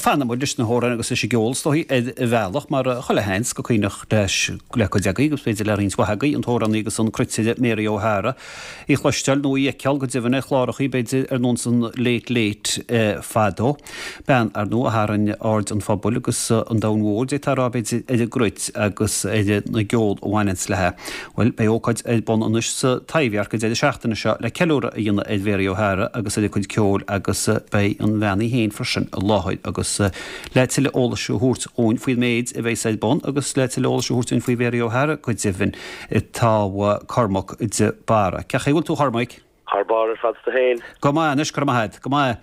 Fanfaidh muid leis na hamhráin agus leis an gceol, is dóigh, ar bhealach, mar chuile sheans go cuimhneach leis, le cuid agaibh, agus b'fhéidir le roinnt mhaith agaibh, an t-amhránaí agus an cruitire Mary O'Hara í chloisteáil nó í fheiceáil go deimhin ar chlárachaí, b'fhéidir, ar nós an Late Late fadó. Bean, ar ndóigh, a tharraing aird an phobail agus an domhain mhóir, d'fhéadfá a rá, b'fhéidir, ar an gcruit agus ar an gceol a bhaineanns léi. Bhuel, beidh ócáid ar bun anois sa Taibhdhearc an deireadh seachtaine seo le ceiliúradh a dhéanamh ar Mhary O'Hara agus ar a cuid ceoil agus beidh an bhean í féin freisin i láthair agus le tuilleadh eolais a thabhairt dhúinn faoin méid a bheas ar bun agus le tuilleadh eolais a thabhairt dúinn faoi Mhary O'Hara go deimhin tá Cormac de Barra. Cén chaoi a bhfuil tú a Chormaic? Thar barr ar fad 's tú féin. Go maith anois, go raibh maith agat. Go maith.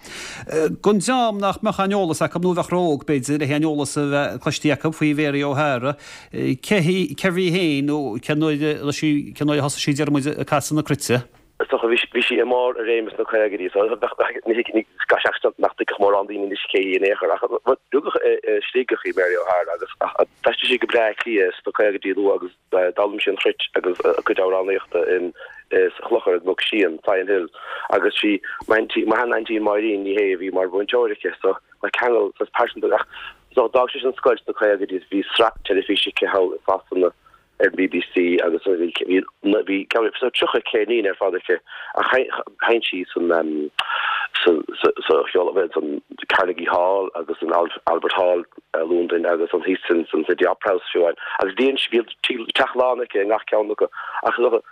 Don dream nach mbeadh aon eolas acu, nó a bheadh ró-óg, b'fhéidir, le haon eolas a bheith cloistí acu faoi Mhary O'Hara, cé hí, cérbh í féin nó cén uair a sí, cén uair a thosaigh sí, déarfaidh muid, ag casadh na cruite? Is dócha, bhí, bhí sí i mbarr a réime sna caogaidí, so bheadh, ní thuig, ní, seans nach dtuigfeadh mórán daoine anois cé hí in aon chor, ach rugadh i, i Sligeach í Mary O'Hara agus d'aistrigh sí go Bleá Cliath sna caogaidí luath agus D'fhoghlaim sí an chruit agus a cuid amhránaíochta in sa chlochar i gCnoc Síon, Sion Hill, agus sí m'aintín, mo shean-aintín Máirín Ní Shé a bhí mar mhúinteoir aici so tá ceangal saghas pearsanta ach so d'fhág sí an scoil sna caogaidí is bhí sraith teilifíse aici thall i Sasana ar an bbc agus bhí bhí bhí so 30 ceirnín ar fad aici ach sheinn sí san sa sa sa cheol san Carnegie Hall agus san Albert Hall i Londain agus an thíos san City Opera House fiú amháin. Agus bhí an bhí teach lán aici i ngach ceann acu. Ach is dócha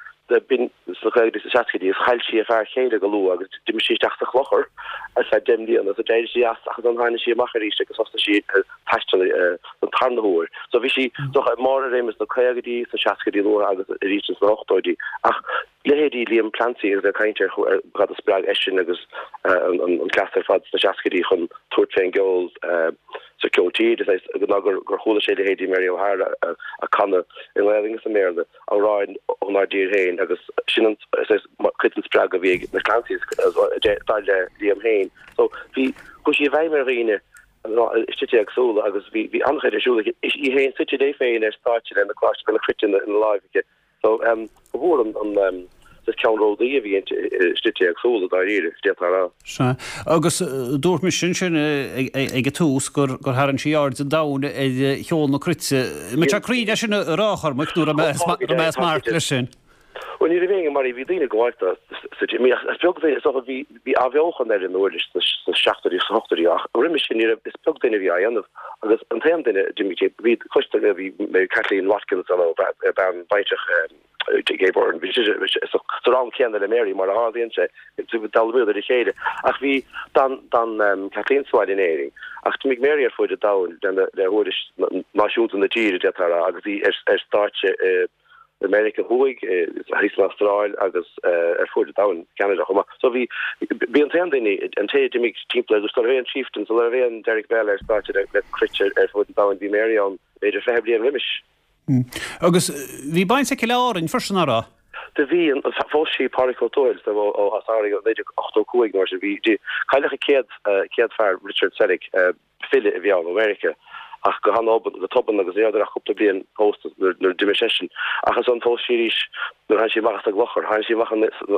b'in sna caogaidí is seascaidí agus chaill sí a fear céile go luath agus d'imigh sí isteach sa chlochar ar feadh 10 mbliana so d'éirigh sí as ach ansan tháinig sí amach arís agus thosaigh sí ag taisteal an tarna huair. So bhí sí is dócha i mbarr a réime sna caogaidí, sna seascaidí luatha agus arís sna hochtóidí. Ach leithéidí Liam Clancy agus ag caint ar cad a spreag eisean agus an cleas ar fad sna seascaidí chun tabhairt fén gceol sa ceol tíre, ná gur chuala sé leithéidí Mary O'Hara ag canadh i nGaelainn agus i mBéarla amhráin ónár dtír féin agus sin an cuid den spreagadh a bhí ag na Clancys dar le Liam féin. So bhí, chuaigh sí i bhfeidhm ar dhaoine i slite éagsúla agus bhí an-chuid ar siúl aici. Í féin suite léi féin ar stáitse lena cruit ina láimh aici. So, ba mhór an saghas ceannródaí a bhí inti i slite éagsúla, dáiríre, d'fhéadfá a rá. Sea. Agus dúirt mise ansin ag an tús gur tharraing sí aird an domhain ar cheol na cruite. An mbeadh sé cruinn é sin a rá, a Chormaic, nó raibh mé as marc leis sin? Bhuel, ní raibh éinne mar í. Bhí daoine ag gabháil dó sa tír. Is beag duine, is dócha, bhí bhí athbheochan ar an uirlis sna seachtóidí agus sna hochtóidí ach roimhe sin ní raibh, is beag duine a bhí á dhéanamh agus an t-aon duine a d'imigh, bhí, cloistear, bhí Kathleen Watkins ann, bean baintreach Gay Byrne, bhí sise sa rang céanna le Mary mar a tharlaíonn sé, d'fhoghlaimíodar le chéile ach bhí, d'fhan, d'fhan Kathleen sa bhaile in Éirinn ach d'imigh Mary ar fuaid an domhain le huirlis náisiúnta na tíre, d'fhéadfá a rá, agus í ar stáitse i i Meiriceá Thuaidh, thíos san Astráil agus ar fuaid an domhain, Ceanada chomh maith. So bhí, bhí an t-aon duine, an té a d'imigh timpeall ar sula raibh aon Chieftains, sula raibh aon Derek Bell ar stáitse le cruit ar fuaid an domhain, bhí Mary ann b'fhéidir 20 bliain roimis. Agus bhí baint aici le Árainn freisin, nach raibh? Do bhí, phós sí Pádraig Ó Tuathail ó as Árainn i 1985 nó mar sin. Bhí, cailleadh a céad, céad fear, Richard Selick, file a bhí ann ó Mheiriceá ach go han-obann, go tobann agus ní rabhadar ach cúpla bliain pósta nuair a d'imigh seisean. Ach ansan phós sí arís nuair a tháinig sí amach as an gclochar. Tháinig sí amach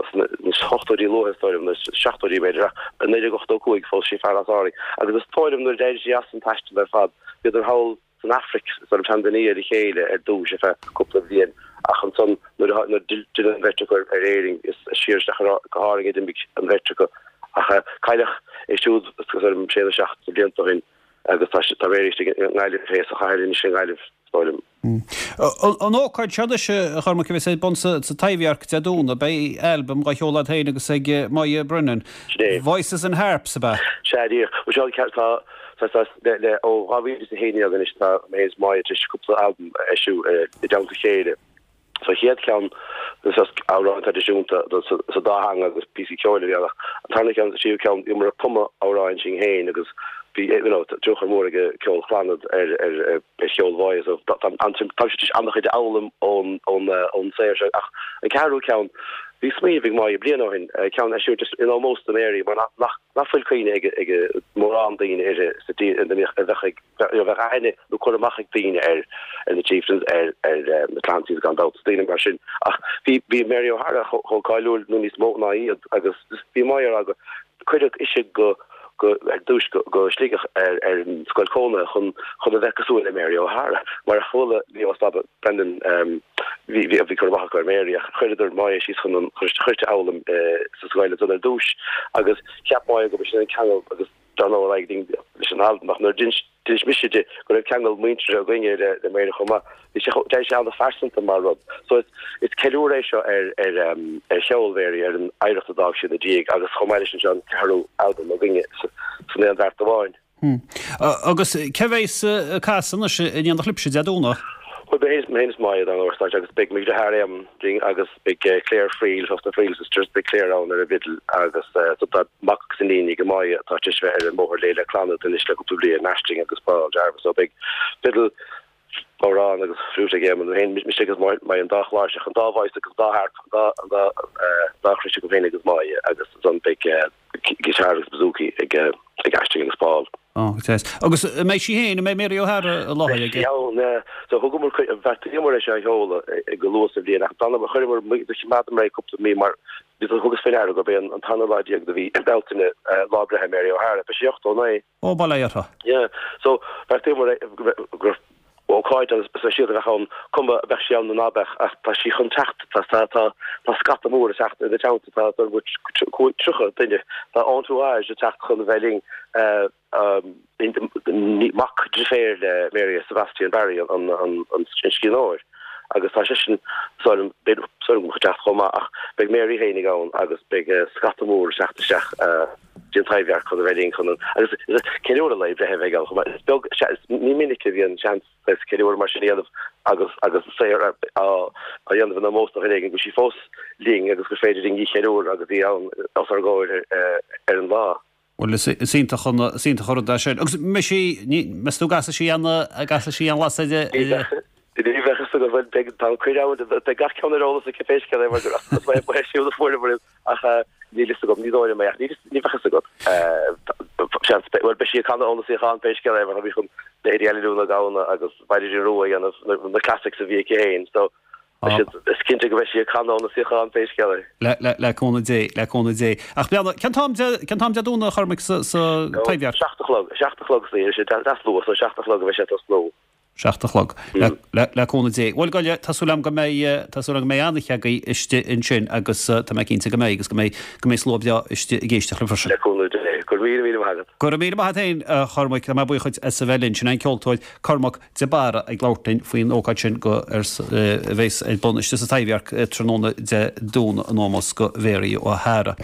sna hochtóidí luatha is dóigh liom, nó seachtóidí b'fhéidir, ach i 1985 phós sí fear as Árainn. Agus is dóigh liom nuair a d'éirigh sí as an taisteal ar fad, bhíodar thall san Afraic, san Tanzania le chéile ar dtúis ar feadh cúpla bliain ach ansan nuair a d'fhill an bheirt acu ar Éirinn is siar isteach go hÁrainn a d'imigh an bheirt acu. Ach cailleadh é siúd is dóigh liom sé nó seacht de bhlianta ó shin agus tá tá Mary istigh i nGaillimh é sa chathair anois i nGaillimh, is dóigh liom. An ócáid seo anois, a Chormaic, a bheas ar bun sa Taibhdhearc Dé Domhnaigh, beidh albam á sheoladh agat féin agus ag Moya Brennan, Sin é. Voices and Harps, ab ea? Sea, díreach. Bhuel, seo an ceart, tá, tá, tá, le, le, ó 2011 anois tá mé féin is Moya tar éis cúpla albam a eisiú i dteannta a chéile. Sa chéad cheann, is amhráin traidisiúnta sa dá theanga agus píosaí ceoil a bhí ann ach an tarna ceann, an tríú ceann, bhíomar ag cumadh amhráin sinn féin agus bhí you know tionchar mór ag ceol Chlannad ar ar ar cheol Mháire so tá táimse tar éis an-chuid a fhoghlaim ón ón ón saothar seo ach an ceathrú ceann, bhí smaoineamh ag Máire bliain ó shin ceann a eisiúint just in ómós do Mary mar nach nach nach bhfuil cuimhne ag ag mórán daoine uirthi sa tír a bheadh ag bheadh aithne nó cur amach ag daoine ar na Chieftains, ar na Clancys gan dabht, daoine mar sin. Ach bhí bhí Mary O'Hara chomh cáiliúil nó níos mó ná iad agus bhí Moya ag rá go cuireadh ise go. go ar dtúis go go Sligeach ar ar an scoil cónaithe chun chun a bheith cosúil le Mary O'Hara mar a chuala Leo is Baba Brendan bhí bhí bhí cur amach acu ar Mary ach chuireadar Máire síos chun an chun chuirte a fhoghlaim sa scoil ansan ar dtúis agus cheap Máire go b'shin an ceangal agus dar ndóigh ar aghaidh linn leis an albam ach nuair d'inis D'inis mise di go raibh ceangal muinteartha againne le le Mary chomh maith. Bhí sé chomh, d'éirigh sé an-phearsanta mar rud. So is, is ceiliúradh é seo ar, ar, ar cheol Mhary, ar an oidhreacht a d'fhág sí ina diaidh agus chomh maith leis sin seo an ceathrú albam againne san aon bheart amháin. Agus cé bheas ag casadh anois in éineacht libhse Dé Domhnaigh? Bhuel, beidh mé féin is Máire dar ndóigh ar stáitse agus beidh mo dheartháir Éamonn linn agus beidh Claire Friel, os na Friel Sisters, beidh Claire ann ar an bhfidil agus so tá mac agus iníon ag Máire atá tar éis bheith ar an mbóthar léi le clann anois le cúpla bliain, Aisling agus Paul Jarvis, so beidh fidil, bodhrán agus fliúit ag Éamonn féin, mise agus Máire an dá chláirseach, an dá voice agus an dá harp, an dá, an dá, dá chrois agam féin agus Máire agus ansan beidh guitar agus bouzouki ag ag Aisling agus Paul. Ó, go deas. Agus an mbeidh sí féin, an mbeidh Mary O'Hara i láthair aige? Beidh sí ann, yeah. So thugamar, bheartaíomar é seo a sheoladh go luath sa bhliain ach d'fhanamar, chuireamar, do choimeádamar é cúpla mí mar bhí, thugas faoi ndeara gurb é an tarna lá déag de mhí Bealtaine lá breithe Mary O'Hara. Beidh sí 89. Ó, bail ó Dhia uirthi. Yeah. So bheartaíomar é go raibh ócáid an-speisialta a bheadh ann, cuma a beadh sí ann nó ná beadh, ach tá sí chun teacht, tá, tá, tá, tá scata mór ag teacht ina teannta, tá, tá 30 duine, tá entourage ag teacht chun a bheith linn, mac deirféar le Mary, Sebastian Barry, an, an, an scríbhneoir, agus tá seisean, súil agam, súil agam chun teacht chomh maith, ach beidh Mary fhéinig ann agus beidh scata mór ag teacht isteach dtí an Taibhdhearc chun a bheith linn chun an, agus ceiliúradh lae breithe a bheidh ann chomh maith. Is beag, ní minic a bhíonn seans saghas ceiliúradh mar sin a dhéanamh agus agus saothar á dhéanamh in ómós do dhuine éigin go bhfuil sí fós linn agus gur féidir linn í a cheiliúradh agus í ann os ár gcomhair ar an lá. Bhuel, is iontach an, is iontach an rud é sin. Agus mbeidh sí, ní, meas tú an gcasfaidh sí aon, an gcasfaidh sí aon lasair i, i. Ní bheadh fhios agat, bhuel, beidh, tá an cuireadh ann, beidh gach ceann ar eolas aici pé scéal é mar gur as ba é siúd a fuaireamar iad ach níl fhios agam, ní dóigh liom é ach ní, ní bheadh fhios agat. Seans, bhuel, beidh sí ag canadh óna suíochán pé scéal é mar tá sí chun leithéidí Aililiú na Gamhna agus Mhaighdean Rua a dhéanamh, na, na classics a bhí aici féin, so Beidh siad, is cinnte go mbeidh sí ag canadh óna suíochán pé scéal é. Le, le, le cúnamh Dé, le cúnamh Dé. Ach breathnaigh, cén t-am Dé, cén t-am Dé Domhnaigh a Chormaic sa, sa Taibhdhearc? 7 a chlog, 7 a chlog is é deas luath, so 7 a chlog a bheidh sé ag tosnú. 7 a chlog. Le, le, le cúnamh Dé. Bhuel, gabh i leith, tá súil agam go mbeidh, tá súil agam go mbeidh an-oíche agaibh istigh ansin agus tá mé cinnte go mbeidh agus go mbeidh, go mbeidh slua breá istigh ag éisteacht libh freisin. Le cúnamh Dé. Go raibh míle, míle maith agat. Go raibh míle maith agat féin, a Chormaic. Tá mé buíoch dhuit as a bheith linn. Sin é an ceoltóir Cormac de Barra ag labhairt linn faoin ócáid sin go ar a bheas ar bun istigh sa Taibhdhearc tráthnóna Dé Domhnaigh in ómós go Mhary O'Hara.